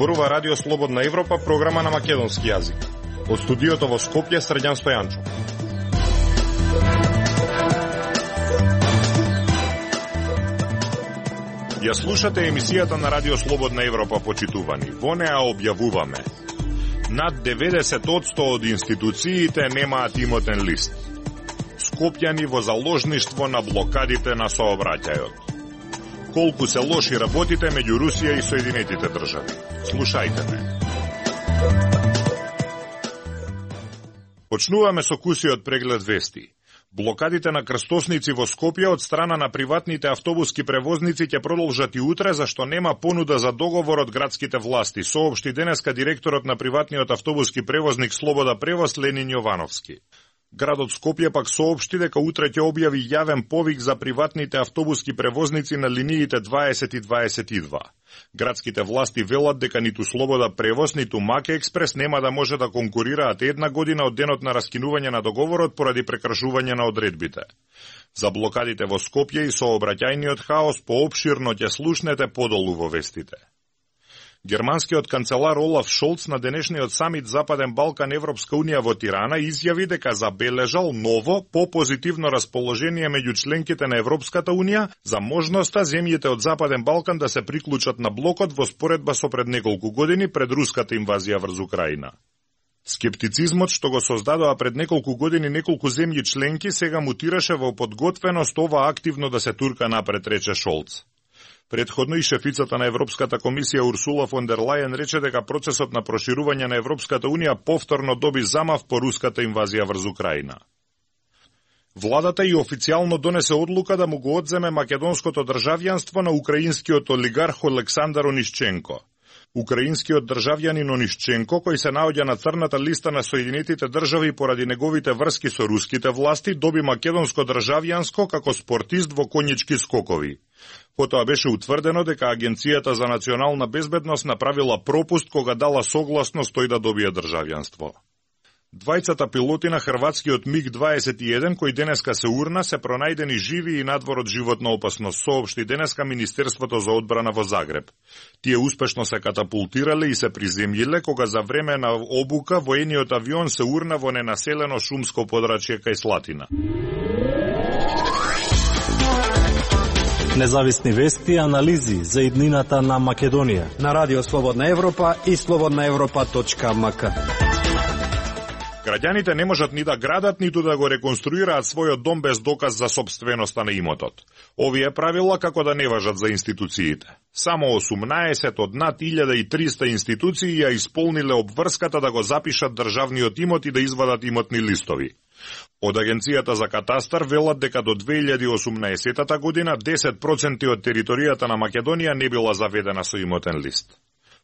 зборува Радио Слободна Европа, програма на македонски јазик. Од студиото во Скопје, Срđan Стојанчо. Ја слушате емисијата на Радио Слободна Европа, почитувани. Во неа објавуваме: над 90% од институциите немаат имотен лист. Скопјани во заложништво на блокадите на сообраќајот. Колку се лоши работите меѓу Русија и Соединетите држави. Слушајте ме. Почнуваме со кусиот преглед вести. Блокадите на крстосници во Скопје од страна на приватните автобуски превозници ќе продолжат и утре, зашто нема понуда за договор од градските власти, соопшти денеска директорот на приватниот автобуски превозник Слобода Превоз Ленин Јовановски. Градот Скопје пак соопшти дека утре ќе објави јавен повик за приватните автобуски превозници на линиите 20 и 22. Градските власти велат дека ниту Слобода Превоз, ниту Маке Експрес нема да може да конкурираат една година од денот на раскинување на договорот поради прекршување на одредбите. За блокадите во Скопје и сообраќајниот хаос поопширно ќе слушнете подолу во вестите. Германскиот канцелар Олаф Шолц на денешниот самит Западен Балкан Европска Унија во Тирана изјави дека забележал ново, попозитивно расположение меѓу членките на Европската Унија за можноста земјите од Западен Балкан да се приклучат на блокот во споредба со пред неколку години пред руската инвазија врз Украина. Скептицизмот што го создадоа пред неколку години неколку земји членки сега мутираше во подготвеност ова активно да се турка напред, рече Шолц. Предходно и шефицата на Европската комисија Урсула фон дер Лајен рече дека процесот на проширување на Европската Унија повторно доби замав по руската инвазија врз Украина. Владата и официјално донесе одлука да му го одземе македонското државјанство на украинскиот олигарх Олександар Онишченко. Украинскиот државјанин Онишченко, кој се наоѓа на црната листа на Соединетите држави поради неговите врски со руските власти, доби македонско државјанство како спортист во конјички скокови. Потоа беше утврдено дека Агенцијата за национална безбедност направила пропуст кога дала согласност тој да добие државјанство. Двајцата пилоти на хрватскиот МиГ-21, кој денеска се урна, се пронајдени живи и надвор од животна опасност, соопшти денеска Министерството за одбрана во Загреб. Тие успешно се катапултирале и се приземјиле кога за време на обука воениот авион се урна во ненаселено шумско подрачје кај Слатина. Независни вести и анализи за иднината на Македонија на Радио Слободна Европа и slobodnaevropa.mk. Граѓаните не можат ни да градат, ниту да го реконструираат својот дом без доказ за собственоста на имотот. Овие правила како да не важат за институциите. Само 18 од над 1300 институции ја исполниле обврската да го запишат државниот имот и да извадат имотни листови. Од Агенцијата за катастар велат дека до 2018 година 10% од територијата на Македонија не била заведена со имотен лист.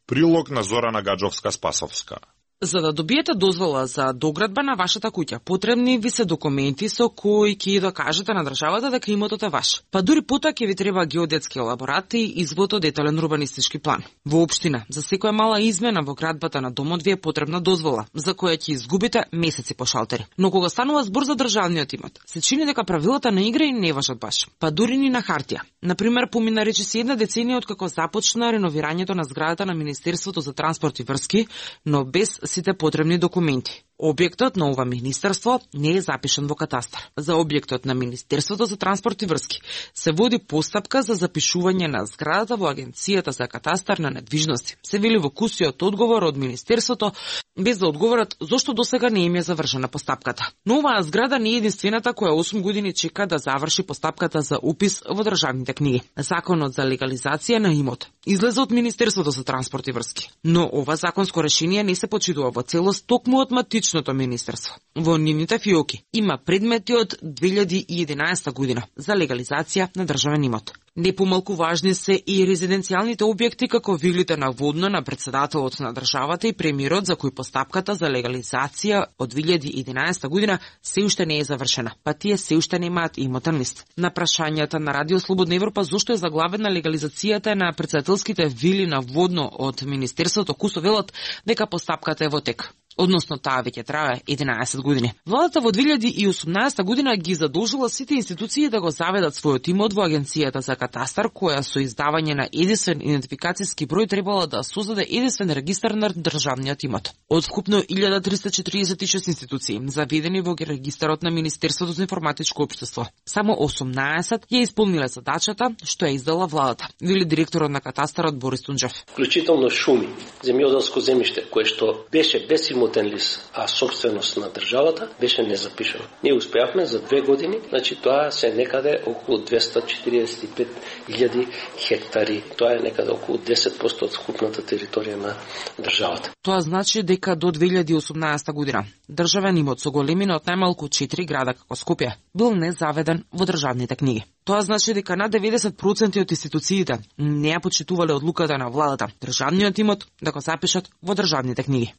Прилог на Зорана Гаджовска-Спасовска. За да добиете дозвола за доградба на вашата куќа, потребни ви се документи со кои ќе докажете на државата дека имотот е ваш. Па дури потоа ќе ви треба геодетски елаборат и извод од детален урбанистички план. Во општина, за секоја мала измена во градбата на домот ви е потребна дозвола, за која ќе изгубите месеци по шалтери. Но кога станува збор за државниот имот, се чини дека правилата на игра и не важат баш. Па дури ни на хартија. Например, помина речиси една деценија од како започна реновирањето на зградата на Министерството за транспорт и врски, но без сите потребни документи. Објектот на ова министерство не е запишан во катастар. За објектот на Министерството за транспорт и врски се води постапка за запишување на зградата во Агенцијата за катастар на недвижности. Се вели во кусиот одговор од Министерството, без да одговорат зошто досега не им е завршена постапката. Но оваа зграда не е единствената која 8 години чека да заврши постапката за упис во државните книги. Законот за легализација на имот излезе од Министерството за транспорт и врски. Но ова законско решение не се почитува во целост токму од матичното министерство. Во нивните фиоки има предмети од 2011 година за легализација на државен имот. Не помалку важни се и резиденцијалните објекти како вилите на водно на председателот на државата и премиерот, за кој постапката за легализација од 2011 година се уште не е завршена, па тие се уште немаат имотен лист. На прашањата на Радио Слободна Европа зошто е заглавена легализацијата на председателските вили на водно од Министерството, кусо велат дека постапката е во тек. односно таа веќе трае 11 години. Владата во 2018 година ги задолжила сите институции да го заведат својот имот во Агенцијата за катастар, која со издавање на единствен идентификацијски број требала да создаде единствен регистар на државниот имот. Од вкупно 1346 институции заведени во регистарот на Министерството за информатичко општество, само 18 ја исполниле задачата што ја издала владата, вели директорот на катастарот Борис Тунџев. Вклучително шуми, земјоделско земјиште кое што беше без имотен лист, а собственост на државата беше незапишано. Ние успеавме за 2 години, значи тоа се некаде околу 245.000 хектари. Тоа е некаде околу 10% од вкупната територија на државата. Тоа значи дека до 2018 година државен имот со големина од најмалку 4 града како Скопје бил незаведен во државните книги. Тоа значи дека на 90% од институциите не ја почитувале одлуката на владата државниот имот да го запишат во државните книги.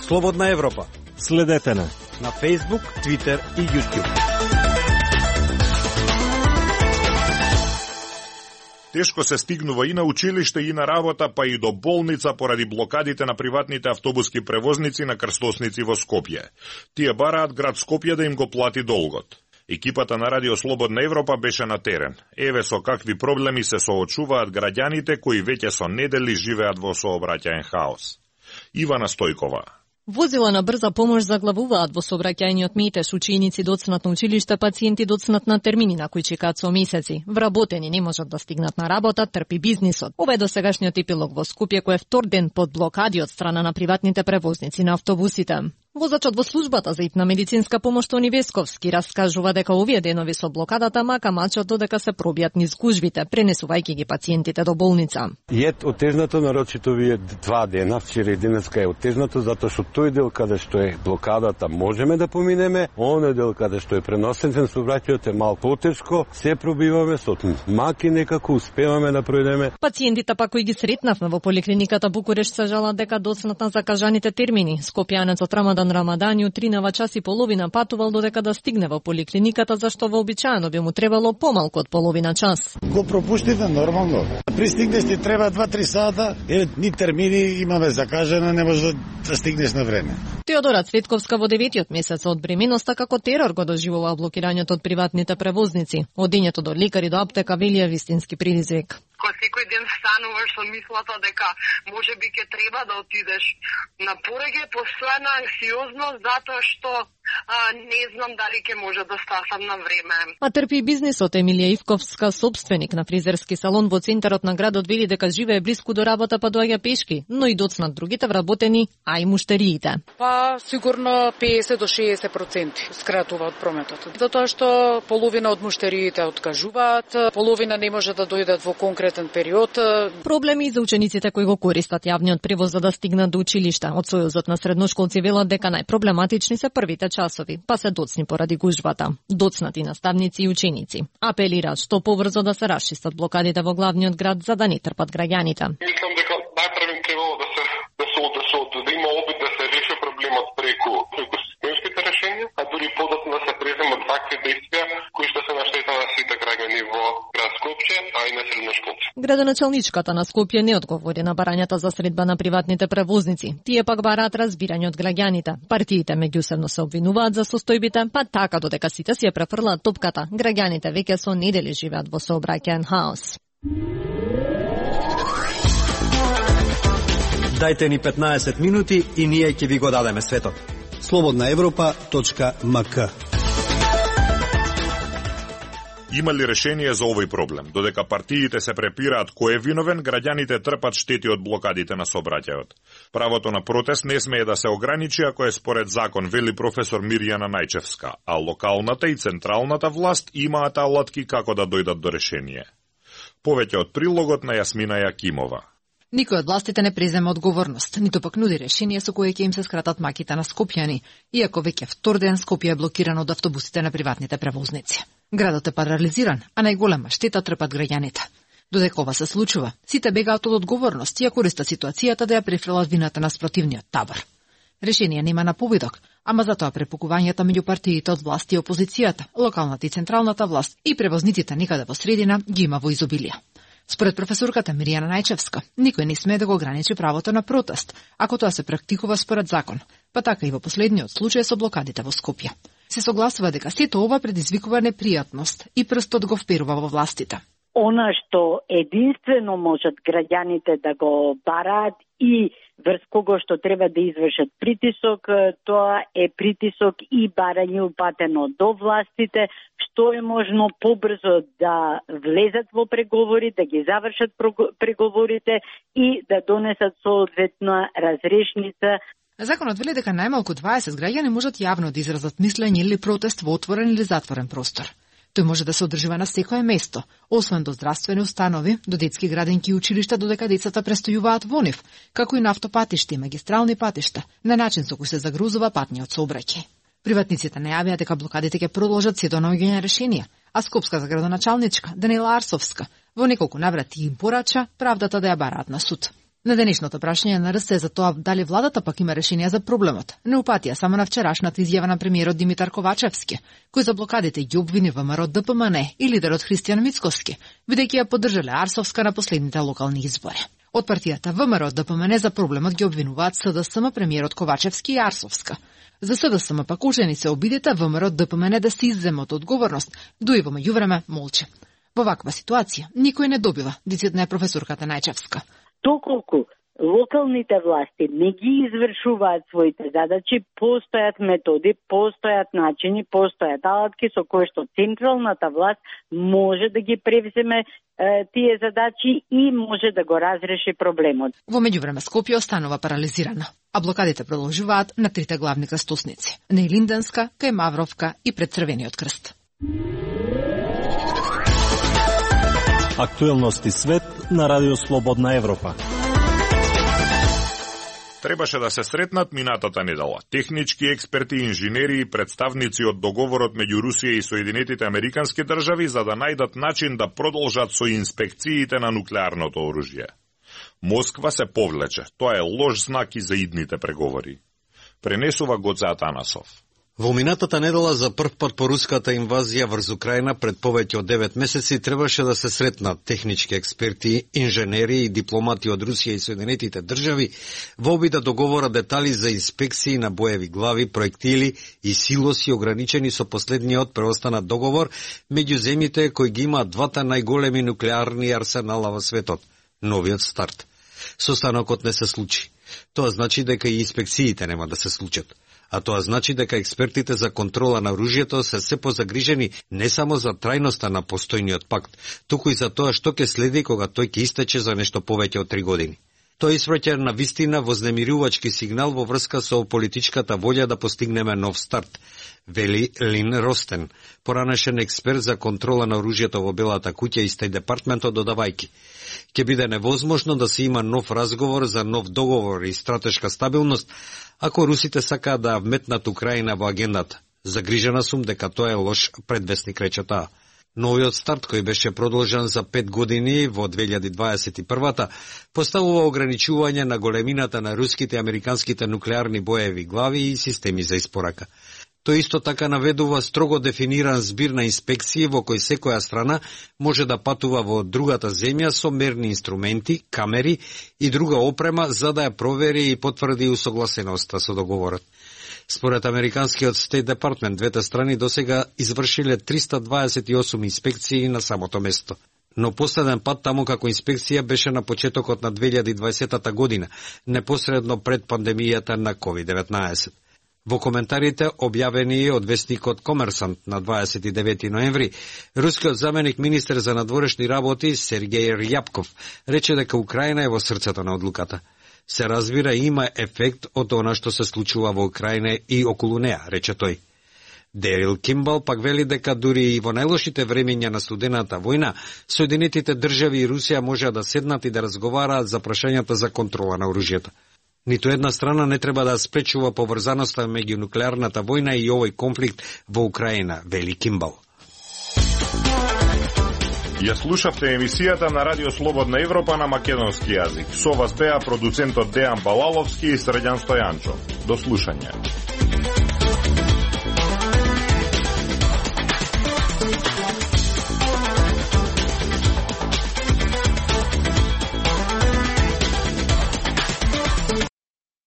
Слободна Европа. Следете на Facebook, Twitter и YouTube. Тешко се стигнува и на училиште и на работа, па и до болница поради блокадите на приватните автобуски превозници на крстосници во Скопје. Тие бараат град Скопје да им го плати долгот. Екипата на Радио Слободна Европа беше на терен. Еве со какви проблеми се соочуваат граѓаните кои веќе со недели живеат во сообраќаен хаос. Ивана Стојкова. Возила на брза помош заглавуваат во сообраќајниот метеж, ученици доцнат на училиште, пациенти доцнат на термини на кои чекаат со месеци. Вработени не можат да стигнат на работа, трпи бизнисот. Ова е досегашниот епилог во Скопје, кој е втор ден под блокади од страна на приватните превозници на автобусите. Возачот во службата за итна медицинска помош Тони Весковски раскажува дека овие денови со блокадата мака мачат додека се пробијат низ гужвите, пренесувајќи ги пациентите до болница. Е отежнато, нарочито вие 2 дена, вчера и денеска е отежнато, затоа што тој дел каде што е блокадата можеме да поминеме, оној дел каде што е преносен сообраќајот е малку потешко, се пробиваме со маки некако успеваме да пројдеме. Пациентите пак кои ги сретнавме во поликлиниката Букурешт се жалат дека доцнат на закажаните термини. Скопјанецот Рамадани од 3 час и половина патувал додека да стигне во поликлиниката, зашто вообичаено би му требало помалку од половина час. Го пропуштите нормално. Пристигнеш ти треба 2-3 сата, ни термини имаме закажено, не можеш да стигнеш на време. Теодора Цветковска во 9-тиот месец од бременоста како терор го доживува блокирањето од приватните превозници. Одењето до лекари до аптека велија вистински предизвик. Кога секој ден стануваш со мислата дека може би ќе треба да отидеш на пореѓе, постојана анксиозност затоа што не знам дали ќе може да стасам на време. А трпи бизнисот. Емилија Ивковска, собственик на фризерски салон во центарот на градот, вели дека живее блиску до работа, па доаѓа пешки, но и доцнат другите вработени, а и муштериите. Па сигурно 50 до 60% скратува од прометот. Затоа што половина од муштериите откажуваат, половина не може да дојдат во конкретен период. Проблеми и за учениците кои го користат јавниот превоз за да стигнат до училишта. Од Сојузот на средношколци велат дека најпроблематични се првите часови, па се доцни поради гужвата. Доцнати наставници и ученици апелираат што побрзо да се расчистат блокадите во главниот град за да не трпат граѓаните. Мислам дека најпрвен требало да има опит да се реши проблемот преку системските решенија, а дури подоцна да се преземат вакви действија кои што се на штета на сите граѓани во град Скопје, а и на средношколци. Градоначалничката на Скопје не одговори на барањата за средба на приватните превозници. Тие пак бараат разбирање од граѓаните. Партиите меѓусебно се обвинуваат за состојбите, па така додека сите си ја префрлаат топката, граѓаните веќе со недели живеат во сообраќаен хаос. Дајте ни 15 минути и ние ќе ви го дадеме светот. slobodnaevropa.mk. Има ли решение за овој проблем? Додека партиите се препираат кој е виновен, граѓаните трпат штети од блокадите на сообраќајот. Правото на протест не смее да се ограничи ако е според закон, вели професор Мирјана Најчевска, а локалната и централната власт имаат алатки како да дојдат до решение. Повеќе од прилогот на Јасмина Јакимова. Никој од властите не презема одговорност, ниту пак нуди решение со кое ќе им се скратат маките на скопјани, иако веќе втор ден Скопје е блокирано од автобусите на приватните превозници. Градот е парализиран, а најголема штета трпат граѓаните. Додека ова се случува, сите бегаат од одговорност и ја користат ситуацијата да ја префрлат вината на спротивниот табор. Решение нема на победок, ама затоа препукувањата меѓу партиите од власт и опозицијата, локалната и централната власт и превозниците некаде во средина ги има во изобилие. Според професорката Миријана Најчевска, никој не смее да го ограничи правото на протест, ако тоа се практикува според закон, па така и во последниот случај со блокадите во Скопје. Се согласува дека сето ова предизвикува непријатност и прстот го вперува во властите. Она што единствено можат граѓаните да го бараат и врз кого што треба да извршат притисок, тоа е притисок и барање упатено до властите, што е можно побрзо да влезат во преговори, да ги завршат преговорите и да донесат соодветна разрешница. Законот вели дека најмалку 20 граѓани можат јавно да изразат мислење или протест во отворен или затворен простор. Тој може да се одржува на секое место, освен до здравствени установи, до детски градинки и училишта, додека децата престојуваат во нив, како и на автопатишта и магистрални патишта, на начин со кој се загрузува патниот сообраќај. Приватниците најавија дека блокадите ќе продолжат се до наоѓање решенија, а скопската градоначалничка Данила Арсовска во неколку наврати им порача правдата да ја бараат на суд. На денешното прашање на РС за тоа дали владата пак има решение за проблемот, не упатија само на вчерашната изјава на премиерот Димитар Ковачевски, кој за блокадите ги обвини ВМРО ДПМН и лидерот Христијан Мицковски, бидејќи ја поддржале Арсовска на последните локални избори. Од партијата ВМРО ДПМН за проблемот ги обвинуваат СДСМ, премиерот Ковачевски и Арсовска. За СДСМ пак ужени се обидите ВМРО ДПМН да се изземат одговорност, дуи во меѓувреме молчи. Во ваква ситуација никој не добива, дицитна е професорката Најчевска. Доколку локалните власти не ги извршуваат своите задачи, постојат методи, постојат начини, постојат алатки со кои што централната власт може да ги превземе тие задачи и може да го разреши проблемот. Во меѓувреме Скопје останува парализирана, а блокадите продолжуваат на трите главни крстосници: на Илинденска, кај Мавровка и пред Црвениот крст. Актуелности свет на Радио Слободна Европа. Требаше да се сретнат минатата недела. Технички експерти, инженери и представници од договорот меѓу Русија и Соединетите Американски држави за да најдат начин да продолжат со инспекциите на нуклеарното оружје. Москва се повлече. Тоа е лош знак и за идните преговори. Пренесува Гоце Атанасов. Во минатата недела за прв пат по руската инвазија врз Украина пред повеќе од 9 месеци требаше да се сретнат технички експерти, инженери и дипломати од Русија и Соединетите држави во обид да договорат детали за инспекции на боеви глави, проектили и силоси ограничени со последниот преостанат договор меѓу земјите кои ги имаат двата најголеми нуклеарни арсенала во светот, новиот старт. Состанокот не се случи. Тоа значи дека и инспекциите нема да се случат. А тоа значи дека експертите за контрола на оружјето се позагрижени не само за трајноста на постојниот пакт, туку и за тоа што ќе следи кога тој ќе истече за нешто повеќе од 3 години. Тој испраќа на вистина вознемирувачки сигнал во врска со политичката волја да постигнеме нов старт, вели Лин Ростен, поранешен експерт за контрола на оружјето во Белата куќа и Стејт департментот, додавајки: ќе биде невозможно да се има нов разговор за нов договор и стратешка стабилност ако русите сакаат да вметнат Украина во агендата. Загрижена сум дека тоа е лош предвестник, рече таа. Новиот старт, кој беше продолжен за 5 години во 2021-та, поставува ограничување на големината на руските и американските нуклеарни боеви глави и системи за испорака. Тој исто така наведува строго дефиниран збир на инспекции во кој секоја страна може да патува во другата земја со мерни инструменти, камери и друга опрема за да ја провери и потврди усогласеноста со договорот. Според американскиот Стејт департмент, двете страни досега извршиле 328 инспекции на самото место. Но последен пат таму како инспекција беше на почетокот на 2020 година, непосредно пред пандемијата на COVID-19. Во коментарите објавени од вестникот Комерсант на 29 ноември, рускиот заменик министер за надворешни работи Сергеј Рјапков рече дека Украина е во срцето на одлуката. Се разбира, има ефект од она што се случува во Украина и околу неа, рече тој. Дерил Кимбал пак вели дека дури и во најлошите времења на студената војна, Соединетите држави и Русија можеа да седнат и да разговараат за прашањата за контрола на оружјето. Ниту една страна не треба да спречува поврзаноста меѓу нуклеарната војна и овој конфликт во Украина, вели Кимбал. Ја слушавте емисијата на Радио Слободна Европа на македонски јазик. Со вас беа продуцентот Дејан Балаловски и Срđan Стојанчо. До слушање.